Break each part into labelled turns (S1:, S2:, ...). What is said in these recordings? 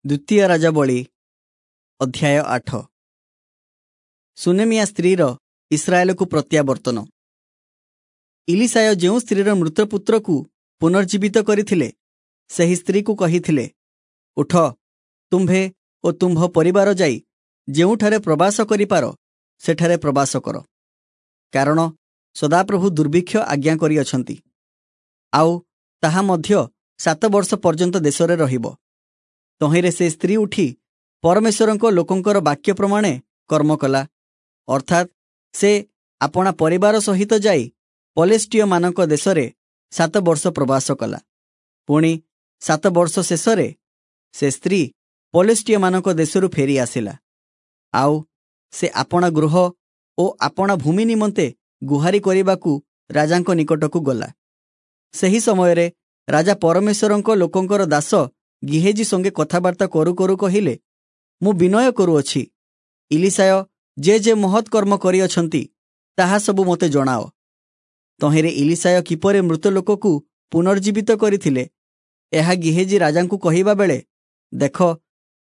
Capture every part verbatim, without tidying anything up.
S1: ଦ୍ୱିତୀୟ ରାଜାବଳୀ ଅଧ୍ୟାୟ ଆଠ। ସୁନେମିଆ ସ୍ତ୍ରୀର ଇସ୍ରାଏଲକୁ ପ୍ରତ୍ୟାବର୍ତ୍ତନ। ଇଲିଶାୟ ଯେଉଁ ସ୍ତ୍ରୀର ମୃତ ପୁତ୍ରକୁ ପୁନର୍ଜୀବିତ କରିଥିଲେ, ସେହି ସ୍ତ୍ରୀକୁ କହିଥିଲେ, ଉଠ, ତୁମ୍ଭେ ଓ ତୁମ୍ଭ ପରିବାର ଯାଇ ଯେଉଁଠାରେ ପ୍ରବାସ କରିପାର ସେଠାରେ ପ୍ରବାସ କର, କାରଣ ସଦାପ୍ରଭୁ ଦୁର୍ଭିକ୍ଷ ଆଜ୍ଞା କରିଅଛନ୍ତି, ଆଉ ତାହା ମଧ୍ୟ ସାତ ବର୍ଷ ପର୍ଯ୍ୟନ୍ତ ଦେଶରେ ରହିବ। ତହିଁରେ ସେ ସ୍ତ୍ରୀ ଉଠି ପରମେଶ୍ୱରଙ୍କ ଲୋକଙ୍କର ବାକ୍ୟ ପ୍ରମାଣେ କର୍ମ କଲା, ଅର୍ଥାତ୍ ସେ ଆପଣା ପରିବାର ସହିତ ଯାଇ ପଲେଷ୍ଟୀୟମାନଙ୍କ ଦେଶରେ ସାତ ବର୍ଷ ପ୍ରବାସ କଲା। ପୁଣି ସାତ ବର୍ଷ ଶେଷରେ ସେ ସ୍ତ୍ରୀ ପଲେଷ୍ଟୀୟମାନଙ୍କ ଦେଶରୁ ଫେରି ଆସିଲା, ଆଉ ସେ ଆପଣା ଗୃହ ଓ ଆପଣା ଭୂମି ନିମନ୍ତେ ଗୁହାରି କରିବାକୁ ରାଜାଙ୍କ ନିକଟକୁ ଗଲା। ସେହି ସମୟରେ ରାଜା ପରମେଶ୍ୱରଙ୍କ ଲୋକଙ୍କର ଦାସ ଗିହେଜି ସଙ୍ଗେ କଥାବାର୍ତ୍ତା କରୁ କରୁ କହିଲେ, ମୁଁ ବିନୟ କରୁଅଛି, ଇଲିଶାୟ ଯେ ଯେ ମହତ୍ କର୍ମ କରିଅଛନ୍ତି ତାହା ସବୁ ମୋତେ ଜଣାଅ। ତହିଁରେ ଇଲିଶାୟ କିପରି ମୃତ ଲୋକକୁ ପୁନର୍ଜୀବିତ କରିଥିଲେ, ଏହା ଗିହେଜି ରାଜାଙ୍କୁ କହିବା ବେଳେ, ଦେଖ,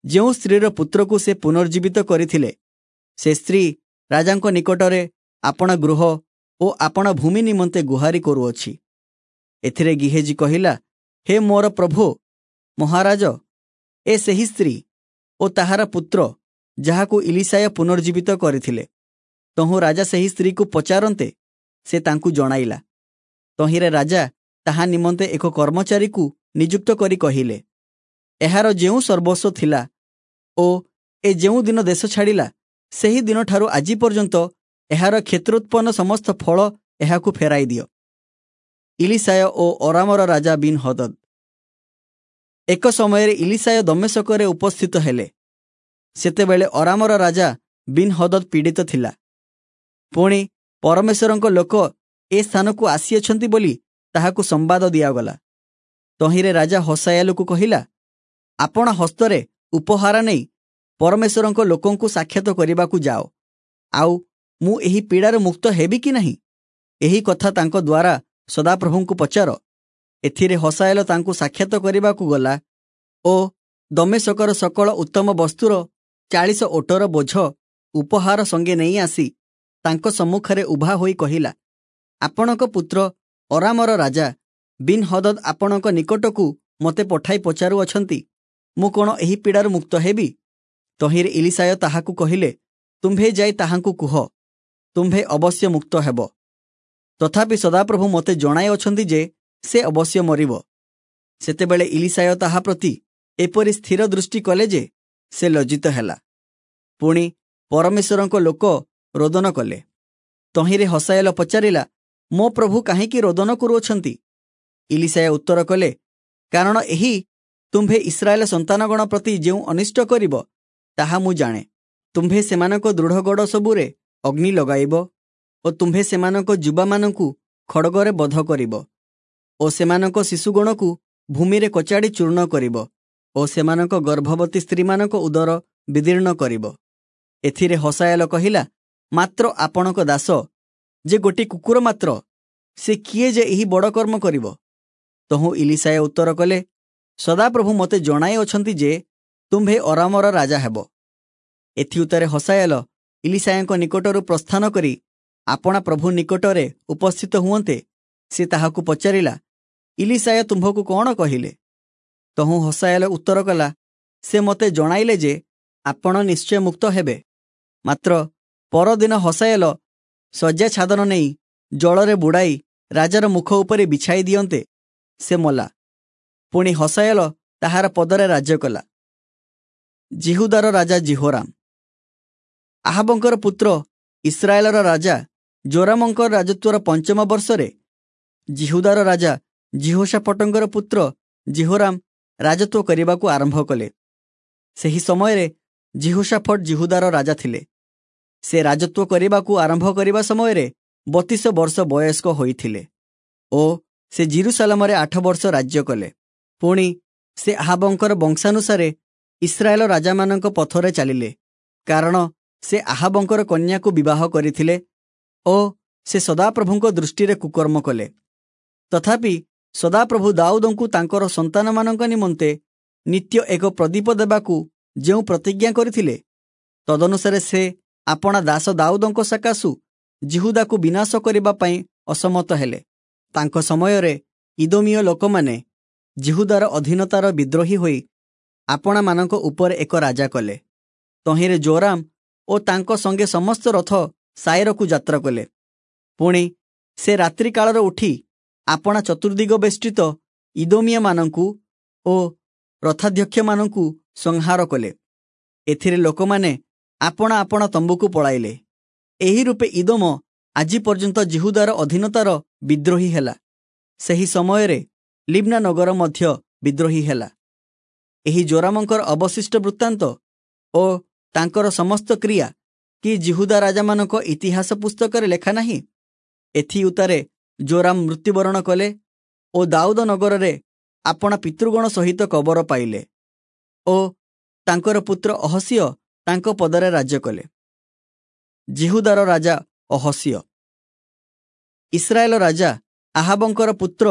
S1: ଯେଉଁ ସ୍ତ୍ରୀର ପୁତ୍ରକୁ ସେ ପୁନର୍ଜୀବିତ କରିଥିଲେ, ସେ ସ୍ତ୍ରୀ ରାଜାଙ୍କ ନିକଟରେ ଆପଣା ଗୃହ ଓ ଆପଣା ଭୂମି ନିମନ୍ତେ ଗୁହାରି କରୁଅଛି। ଏଥିରେ ଗିହେଜି କହିଲା, ହେ ମୋର ପ୍ରଭୁ ମହାରାଜ, ଏ ସେହି ସ୍ତ୍ରୀ ଓ ତାହାର ପୁତ୍ର ଯାହାକୁ ଇଲିଶାୟ ପୁନର୍ଜୀବିତ କରିଥିଲେ। ତହୁଁ ରାଜା ସେହି ସ୍ତ୍ରୀକୁ ପଚାରନ୍ତେ ସେ ତାଙ୍କୁ ଜଣାଇଲା। ତହିଁରେ ରାଜା ତାହା ନିମନ୍ତେ ଏକ କର୍ମଚାରୀକୁ ନିଯୁକ୍ତ କରି କହିଲେ, ଏହାର ଯେଉଁ ସର୍ବସ୍ୱ ଥିଲା ଓ ଏ ଯେଉଁ ଦିନ ଦେଶ ଛାଡ଼ିଲା, ସେହି ଦିନଠାରୁ ଆଜି ପର୍ଯ୍ୟନ୍ତ ଏହାର କ୍ଷେତ୍ରୋତ୍ପନ୍ନ ସମସ୍ତ ଫଳ ଏହାକୁ ଫେରାଇ ଦିଅ। ଇଲିଶାୟ ଓ ଅରାମର ରାଜା ବିନ୍ ହଦଦ। ଏକ ସମୟରେ ଇଲିଶାୟ ଦମେଶକରେ ଉପସ୍ଥିତ ହେଲେ। ସେତେବେଳେ ଅରାମର ରାଜା ବିନ୍ ହଦଦ ପୀଡ଼ିତ ଥିଲା। ପୁଣି ପରମେଶ୍ୱରଙ୍କ ଲୋକ ଏ ସ୍ଥାନକୁ ଆସିଅଛନ୍ତି ବୋଲି ତାହାକୁ ସମ୍ବାଦ ଦିଆଗଲା। ତହିଁରେ ରାଜା ହସାୟାଲକୁ କହିଲା, ଆପଣା ହସ୍ତରେ ଉପହାର ନେଇ ପରମେଶ୍ୱରଙ୍କ ଲୋକଙ୍କୁ ସାକ୍ଷାତ କରିବାକୁ ଯାଅ, ଆଉ ମୁଁ ଏହି ପୀଡ଼ାରୁ ମୁକ୍ତ ହେବି କି ନାହିଁ, ଏହି କଥା ତାଙ୍କ ଦ୍ୱାରା ସଦାପ୍ରଭୁଙ୍କୁ ପଚାର। ଏଥିରେ ହସାଏଲ ତାଙ୍କୁ ସାକ୍ଷାତ କରିବାକୁ ଗଲା ଓ ଦମେଶକର ସକଳ ଉତ୍ତମ ବସ୍ତୁର ଚାଳିଶ ଓଟର ବୋଝ ଉପହାର ସଙ୍ଗେ ନେଇ ଆସି ତାଙ୍କ ସମ୍ମୁଖରେ ଉଭା ହୋଇ କହିଲା, ଆପଣଙ୍କ ପୁତ୍ର ଅରାମର ରାଜା ବିନ୍ ହଦଦ ଆପଣଙ୍କ ନିକଟକୁ ମୋତେ ପଠାଇ ପଚାରୁଅଛନ୍ତି, ମୁଁ କ'ଣ ଏହି ପୀଡ଼ାରୁ ମୁକ୍ତ ହେବି? ତହିଁରେ ଇଲିଶାୟ ତାହାକୁ କହିଲେ, ତୁମ୍ଭେ ଯାଇ ତାହାଙ୍କୁ କୁହ, ତୁମ୍ଭେ ଅବଶ୍ୟ ମୁକ୍ତ ହେବ। ତଥାପି ସଦାପ୍ରଭୁ ମୋତେ ଜଣାଇ ଅଛନ୍ତି ଯେ ସେ ଅବଶ୍ୟ ମରିବ। ସେତେବେଳେ ଇଲିଶାୟ ତାହା ପ୍ରତି ଏପରି ସ୍ଥିର ଦୃଷ୍ଟି କଲେ ଯେ ସେ ଲଜ୍ଜିତ ହେଲା। ପୁଣି ପରମେଶ୍ୱରଙ୍କ ଲୋକ ରୋଦନ କଲେ। ତହିଁରେ ହସାଏଲ ପଚାରିଲା, ମୋ ପ୍ରଭୁ କାହିଁକି ରୋଦନ କରୁଅଛନ୍ତି? ଇଲିଶାୟ ଉତ୍ତର କଲେ, କାରଣ ଏହି ତୁମ୍ଭେ ଇସ୍ରାଏଲ ସନ୍ତାନଗଣ ପ୍ରତି ଯେଉଁ ଅନିଷ୍ଟ କରିବ ତାହା ମୁଁ ଜାଣେ। ତୁମ୍ଭେ ସେମାନଙ୍କ ଦୃଢ଼ଗଡ଼ ସବୁରେ ଅଗ୍ନି ଲଗାଇବ ଓ ତୁମ୍ଭେ ସେମାନଙ୍କ ଯୁବାମାନଙ୍କୁ ଖଡ଼ଗରେ ବଧ କରିବ ଓ ସେମାନଙ୍କ ଶିଶୁଗଣକୁ ଭୂମିରେ କଚାଡ଼ି ଚୂର୍ଣ୍ଣ କରିବ ଓ ସେମାନଙ୍କ ଗର୍ଭବତୀ ସ୍ତ୍ରୀମାନଙ୍କ ଉଦର ବିଦୀର୍ଣ୍ଣ କରିବ। ଏଥିରେ ହସାଏଲ କହିଲା, ମାତ୍ର ଆପଣଙ୍କ ଦାସ ଯେ ଗୋଟି କୁକୁର ମାତ୍ର, ସେ କିଏ ଯେ ଏହି ବଡ଼ କର୍ମ କରିବ? ତହୁଁ ଇଲିଶାୟ ଉତ୍ତର କଲେ, ସଦାପ୍ରଭୁ ମୋତେ ଜଣାଇ ଅଛନ୍ତି ଯେ ତୁମ୍ଭେ ଅରାମର ରାଜା ହେବ। ଏଥିଉତ୍ତରେ ହସାଏଲ ଇଲିଶାୟଙ୍କ ନିକଟରୁ ପ୍ରସ୍ଥାନ କରି ଆପଣା ପ୍ରଭୁ ନିକଟରେ ଉପସ୍ଥିତ ହୁଅନ୍ତେ ସେ ତାହାକୁ ପଚାରିଲା, ଇଲିଶାୟ ତୁମ୍ଭକୁ କ'ଣ କହିଲେ? ତହୁଁ ହସାଏଲ ଉତ୍ତର କଲା, ସେ ମୋତେ ଜଣାଇଲେ ଯେ ଆପଣ ନିଶ୍ଚୟ ମୁକ୍ତ ହେବେ। ମାତ୍ର ପରଦିନ ହସାଏଲ ଶଯ୍ୟା ଛାଦନ ନେଇ ଜଳରେ ବୁଡ଼ାଇ ରାଜାର ମୁଖ ଉପରେ ବିଛାଇ ଦିଅନ୍ତେ ସେ ମଲା। ପୁଣି ହସାଏଲ ତାହାର ପଦରେ ରାଜ୍ୟ କଲା। ଯିହୁଦାର ରାଜା ଯିହୋରାମ। ଆହାବଙ୍କର ପୁତ୍ର ଇସ୍ରାଏଲର ରାଜା ଜୋରାମଙ୍କର ରାଜତ୍ୱର ପଞ୍ଚମ ବର୍ଷରେ ଯିହୁଦାର ରାଜା ଯିହୋଶାଫଟଙ୍କର ପୁତ୍ର ଯିହୋରାମ ରାଜତ୍ୱ କରିବାକୁ ଆରମ୍ଭ କଲେ। ସେହି ସମୟରେ ଯିହୋଶାଫଟ ଯିହୁଦାର ରାଜା ଥିଲେ। ସେ ରାଜତ୍ୱ କରିବାକୁ ଆରମ୍ଭ କରିବା ସମୟରେ ବତିଶ ବର୍ଷ ବୟସ୍କ ହୋଇଥିଲେ ଓ ସେ ଯିରୂଶାଲମରେ ଆଠ ବର୍ଷ ରାଜ୍ୟ କଲେ। ପୁଣି ସେ ଆହାବଙ୍କର ବଂଶାନୁସାରେ ଇସ୍ରାଏଲ ରାଜାମାନଙ୍କ ପଥରେ ଚାଲିଲେ, କାରଣ ସେ ଆହାବଙ୍କର କନ୍ୟାକୁ ବିବାହ କରିଥିଲେ ଓ ସେ ସଦାପ୍ରଭୁଙ୍କ ଦୃଷ୍ଟିରେ କୁକର୍ମ କଲେ। ତଥାପି ସଦାପ୍ରଭୁ ଦାଉଦଙ୍କୁ ତାଙ୍କର ସନ୍ତାନମାନଙ୍କ ନିମନ୍ତେ ନିତ୍ୟ ଏକ ପ୍ରଦୀପ ଦେବାକୁ ଯେଉଁ ପ୍ରତିଜ୍ଞା କରିଥିଲେ, ତଦନୁସାରେ ସେ ଆପଣା ଦାସ ଦାଉଦଙ୍କ ସକାଶୁ ଯିହୁଦାକୁ ବିନାଶ କରିବା ପାଇଁ ଅସମତ ହେଲେ। ତାଙ୍କ ସମୟରେ ଇଦୋମୀୟ ଲୋକମାନେ ଯିହୁଦାର ଅଧୀନତାର ବିଦ୍ରୋହୀ ହୋଇ ଆପଣାମାନଙ୍କ ଉପରେ ଏକ ରାଜା କଲେ। ତହିଁରେ ଜୋରାମ ଓ ତାଙ୍କ ସଙ୍ଗେ ସମସ୍ତ ରଥ ସାଇରକୁ ଯାତ୍ରା କଲେ। ପୁଣି ସେ ରାତ୍ରି କାଳରେ ଉଠି ଆପଣା ଚତୁର୍ଦିଗ ବେଷ୍ଟିତ ଇଦୋମୀୟମାନଙ୍କୁ ଓ ରଥାଧ୍ୟକ୍ଷମାନଙ୍କୁ ସଂହାର କଲେ। ଏଥିରେ ଲୋକମାନେ ଆପଣା ଆପଣା ତମ୍ବୁକୁ ପଳାଇଲେ। ଏହି ରୂପେ ଇଦୋମ ଆଜି ପର୍ଯ୍ୟନ୍ତ ଯିହୁଦାର ଅଧୀନତାର ବିଦ୍ରୋହୀ ହେଲା। ସେହି ସମୟରେ ଲିବ୍ନା ନଗର ମଧ୍ୟ ବିଦ୍ରୋହୀ ହେଲା। ଏହି ଜୋରାମଙ୍କର ଅବଶିଷ୍ଟ ବୃତ୍ତାନ୍ତ ଓ ତାଙ୍କର ସମସ୍ତ କ୍ରିୟା କି ଯିହୁଦା ରାଜାମାନଙ୍କ ଇତିହାସ ପୁସ୍ତକରେ ଲେଖା ନାହିଁ? ଏଥିଉତ୍ତାରେ ଜୋରାମ ମୃତ୍ୟୁବରଣ କଲେ ଓ ଦାଉଦ ନଗରରେ ଆପଣା ପିତୃଗଣ ସହିତ କବର ପାଇଲେ ଓ ତାଙ୍କର ପୁତ୍ର ଅହସିୟ ତାଙ୍କ ପଦରେ ରାଜ୍ୟ କଲେ। ଯିହୁଦାର ରାଜା ଅହସିୟ। ଇସ୍ରାଏଲ ରାଜା ଆହାବଙ୍କର ପୁତ୍ର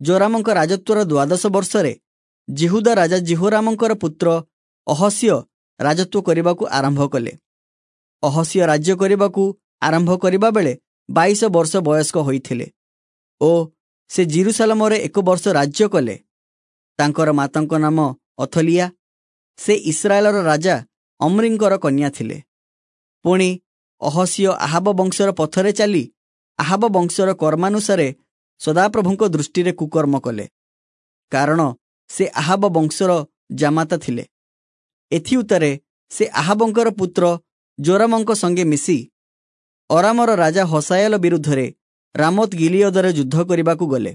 S1: ଜୋରାମଙ୍କ ରାଜତ୍ୱର ଦ୍ୱାଦଶ ବର୍ଷରେ ଯିହୁଦା ରାଜା ଯିହୋରାମଙ୍କର ପୁତ୍ର ଅହସିୟ ରାଜତ୍ୱ କରିବାକୁ ଆରମ୍ଭ କଲେ। ଅହସିୟ ରାଜ୍ୟ କରିବାକୁ ଆରମ୍ଭ କରିବା ବେଳେ ବାଇଶ ବର୍ଷ ବୟସ୍କ ହୋଇଥିଲେ ଓ ସେ ଜିରୁସାଲମରେ ଏକ ବର୍ଷ ରାଜ୍ୟ କଲେ। ତାଙ୍କର ମାତାଙ୍କ ନାମ ଅଥଲିଆ, ସେ ଇସ୍ରାଏଲର ରାଜା ଅମ୍ରିଙ୍କର କନ୍ୟା ଥିଲେ। ପୁଣି ଅହସିୟ ଆହାବ ବଂଶର ପଥରେ ଚାଲି ଆହାବ ବଂଶର କର୍ମାନୁସାରେ ସଦାପ୍ରଭୁଙ୍କ ଦୃଷ୍ଟିରେ କୁକର୍ମ କଲେ, କାରଣ ସେ ଆହାବ ବଂଶର ଜାମାତା ଥିଲେ। ଏଥିଉତ୍ତାରେ ସେ ଆହାବଙ୍କର ପୁତ୍ର ଜୋରାମଙ୍କ ସଙ୍ଗେ ମିଶି ଅରାମର ରାଜା ହସାୟଲ ବିରୁଦ୍ଧରେ ରାମୋତ ଗିଲିୟଦରେ ଯୁଦ୍ଧ କରିବାକୁ ଗଲେ।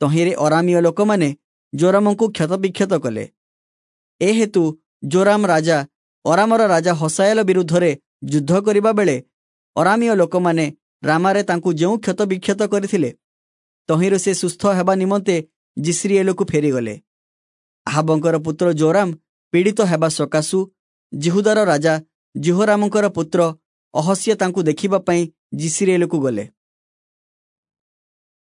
S1: ତହିଁରେ ଅରାମୀୟ ଲୋକମାନେ ଜୋରାମଙ୍କୁ କ୍ଷତବିକ୍ଷତ କଲେ। ଏ ହେତୁ ଜୋରାମ ରାଜା ଅରାମର ରାଜା ହସାୟଲ ବିରୁଦ୍ଧରେ ଯୁଦ୍ଧ କରିବା ବେଳେ ଅରାମୀୟ ଲୋକମାନେ ରାମାରେ ତାଙ୍କୁ ଯେଉଁ କ୍ଷତବିକ୍ଷତ କରିଥିଲେ, ତହିଁରୁ ସେ ସୁସ୍ଥ ହେବା ନିମନ୍ତେ ଯିସ୍ରିଏଲକୁ ଫେରିଗଲେ। ଆହାବଙ୍କର ପୁତ୍ର ଜୋରାମ ପୀଡ଼ିତ ହେବା ସକାଶୁ ଯିହୁଦାର ରାଜା ଯିହୋରାମଙ୍କର ପୁତ୍ର ଅହସିୟ ତାଙ୍କୁ ଦେଖିବା ପାଇଁ ଯିସ୍ରିଏଲକୁ ଗଲେ।